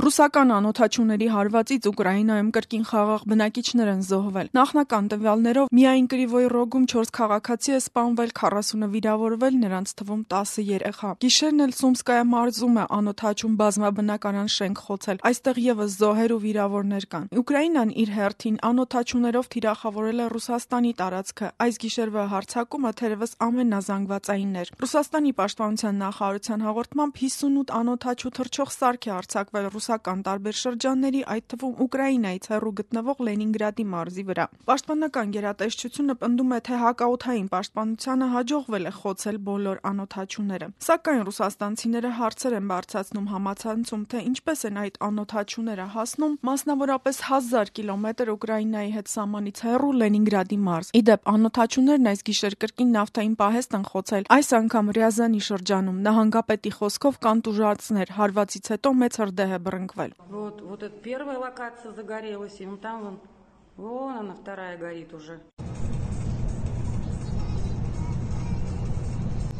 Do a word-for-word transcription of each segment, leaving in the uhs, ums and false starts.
Ռուսական անօդաչուների հարվածից Ուկրաինայում կրկին խաղաղ բնակիչներ են զոհվել։ Նախնական տվյալներով միայն Կրիվոյ Ռոգում չորս քաղաքացի է սպանվել, քառասունը վիրավորվել, նրանց թվում տասը երեխա։ Գիշերն էլ Սումսկայա մարզում է անօդաչուն բազմաբնակարան շենք խոցել։ Այստեղ եւս զոհեր ու վիրավորներ կան։ Ուկրաինան իր հերթին անօդաչուներով թիրախավորել է Ռուսաստանի տարածքը։ Այս գիշերվա հարձակումը թերևս ամենազանգվածայինն էր։ Ռուսաստանի պաշտպանության նախարարության հաղորդմամբ հիսունութ անօդաչու թռչող սարք է արձակվել ռուսական տարբեր շրջանների, այդ թվում Ուկրաինայից հեռու գտնվող Լենինգրադի մարզի վրա։ Պաշտպանական գերատեսչությունը պնդում է, թե հակաօդային պաշտպանությանը հաջողվել է խոցել բոլոր անօդաչուները։ Սակայն ռուսաստանցիները հարցեր են բարձրացնում համացանցում, թե ինչպես են այդ անօդաչուները հասնում մասնավորապես հազար կիլոմետր Ուկրաինայի հետ սահմանից հեռու Լենինգրադի մարզ։ Իդեպ անօդաչուներն այս գիշեր կրկին նավթային պահեստ են խոցել, այս անգամ Ռյազանի շրջանում։ Նահանգապետի խոսքով կան տուժածներ, հարվածից հետո մեծ հրդեհ է բռնկվել։ Вот, вот эта первая локация загорелась, и ну там вон, вон она вторая горит уже.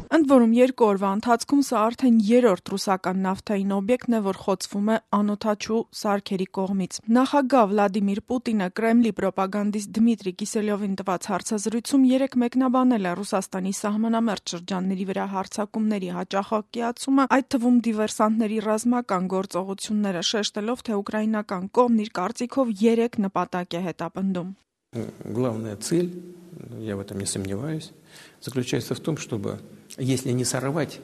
Ընդ որում երկու օրվա ընթացքում սա արդեն երրորդ ռուսական նավթային օբյեկտն է, որ խոցվում է անօդաչու սարքերի կողմից։ Նախագահ Վլադիմիր Պուտինը Կրեմլի պրոպագանդիստ Դմիտրի Կիսելյովին տված հարցազրույցում երեկ մեկնաբանել է Ռուսաստանի սահմանամերձ շրջանների վրա հարձակումների հաճախակիացումը, այդ թվում դիվերսանտների ռազմական գործողությունները, շեշտելով, թե ուկրաինական կողմն իր կարծիքով երեք նպատակ է հետապնդում։ Главная цель, я в этом не сомневаюсь, заключается в том, чтобы, если не сорвать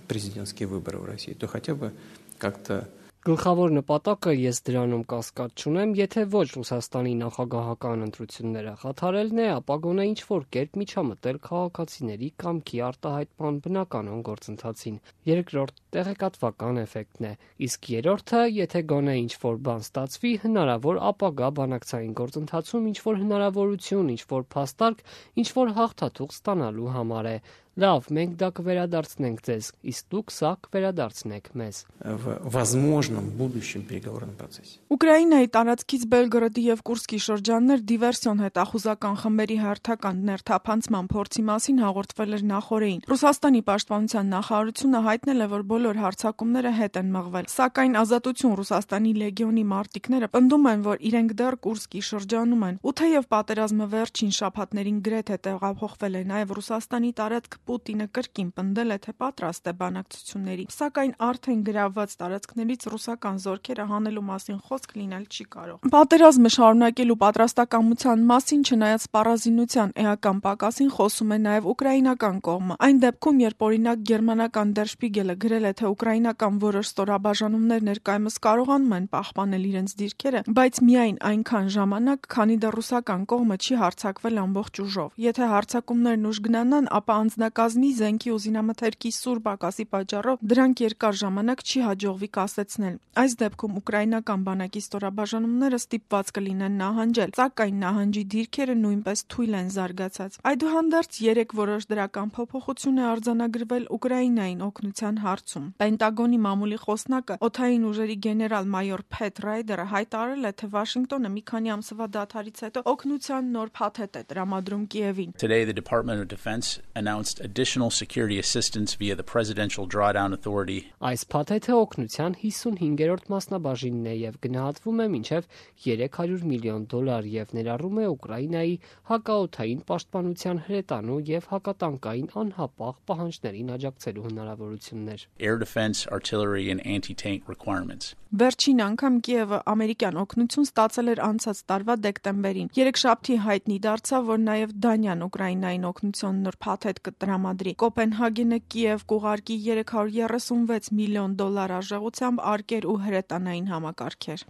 президентские выборы в России, то хотя бы как-то... Գլխավոր նպատակը ես դրանում կասկած չունեմ, եթե ոչ Ռուսաստանի նախագահական ընտրությունները խաթարելն է, ապա գոնե ինչ-որ կերպ միջամտել քաղաքացիների կամքի արտահայտման բնականon գործընթացին։ Երկրորդ տեղեկատվական էֆեկտն է, իսկ երրորդը, եթե գոնե ինչ-որ բան ստացվի, հնարավոր ապագա բանակցային գործընթացում ինչ-որ հնարավորություն, ինչ-որ փաստարկ, ինչ-որ հաղթաթուղթ ստանալու համար է։ Լավ, մենք դա կվերադարձնենք ձեզ, իսկ դուք սա կվերադարձնեք մեզ։ В возможном будущем переговорном процессе. Ուկրաինայի տարածքից Բելգորոդի եւ Կուրսկի շրջաններ դիվերսիոն հետախուզական խմբերի հերթական ներթափանցման փորձի մասին հաղորդվել էր նախորդին։ Ռուսաստանի պաշտպանության նախարարությունը հայտնել է, որ բոլոր հարձակումները հետ են մղվել, սակայն Ազատություն Ռուսաստանի լեգիոնի մարտիկները պնդում են, որ իրենք դեռ Կուրսկի շրջանում են։ Ու թեև պատերազմը վերջին շաբաթներին գրեթե տեղափոխվել է նաեւ Ռուսաստանի տարածք, Պուտինը կրկին պնդել է, թե պատրաստ է բանակցությունների, սակայն արդեն գրավված տարածքներից ռուսական զորքերը հանելու մասին խոսք լինել չի կարող։ Պատերազմը շարունակելու պատրաստակամության մասին, չնայած սպառազինության էական պակասին, խոսում է նաև ուկրաինական կողմը։ Այն դեպքում, երբ օրինակ գերմանական Der Spiegel-ը գրել է, թե ուկրաինական որոշ ստորաբաժանումներ ներկայումս կարողանում են պահպանել իրենց դիրքերը, բայց միայն այնքան ժամանակ, քանի դեռ ռուսական կողմը չի հարձակվել ամբողջ ուժով։ Եթե հարձակումներն ուժ գնանան, ապա անձնակազմի, զենքի ու զինամթերքի սուր պակասի պատճառով դրանք երկար ժամանակ չի հաջողվի կասեցնել։ Այս դեպքում ուկրաինական բանակի ստորաբաժանումները ստիպված կլինեն նահանջել, սակայն նահանջի դիրքերը նույնպես թույլ են զարգացած։ Այդուհանդերձ երեք որոշ դրական փոփոխություն է արձանագրվել Ուկրաինային օգնության հարցում։ Պենտագոնի մամուլի խոսնակը օդային ուժերի գեներալ-մայոր Փեթ Ռայդերը հայտարարել է, թե Վաշինգտոնը մի քանի ամսվա դադարից հետո օգնության նոր փաթեթ է տրամադրում Կիևին։ Today the Department of Defense announced additional security assistance via the Presidential Drawdown Authority. Այս փաթեթը օգնության հիսունհինգերորդ մասնաբաժինն է եւ գնահատվում է մինչեւ երեք հարյուր միլիոն դոլար եւ ներառում է Ուկրաինայի հակաօդային պաշտպանության հրետանու եւ հակատանկային անհապաղ պահանջներին աջակցելու հնարավորություններ։ Air defense, artillery and anti-tank requirements. Վերջին անգամ Կիևը ամերիկյան օգնություն ստացել էր անցած տարվա դեկտեմբերին։ Երեքշաբթի հայտնի դարձավ, որ նաև Դանիան Ուկրաինային օգնության նոր փաթեթ կտրամադրի։ Կոպենհագենը Կիև կուղարկի երեք հարյուր երեսունվեց միլիոն դոլար արժողությամբ արկեր ու հրետանային համակարգեր։